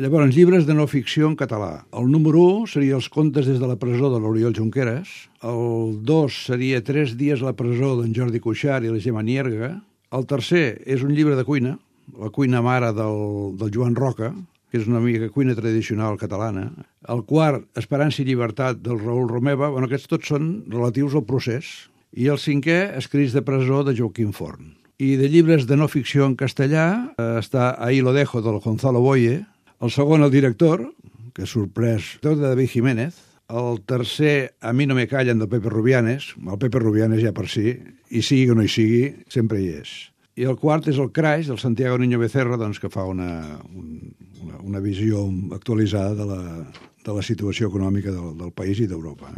Llavors, llibres de no ficció en català. El número 1 seria Els contes des de la presó de l'Oriol Junqueras. El 2 seria 3 dies a la presó d'en Jordi Cuixart i la Gemma Nierga. El tercer és un llibre de cuina, La cuina mare del Joan Roca, que és una mica cuina tradicional catalana. El quart, Esperança i llibertat, del Raül Romeva. Bueno, aquests tots són relatius al procés. I el cinquè, Escrits de presó, de Joaquim Forn. I de llibres de no ficció en castellà està Ahí lo dejo, del Gonzalo Boye. El segon, El director, que és sorprès, de David Jiménez. El tercer, A mi no me callen, del Pepe Rubianes. El Pepe Rubianes ja per si, i sigui o no hi sigui, sempre hi és. I el quart és El Crash, del Santiago Niño Becerra, doncs, que fa una visió actualitzada de la situació econòmica del país i d'Europa.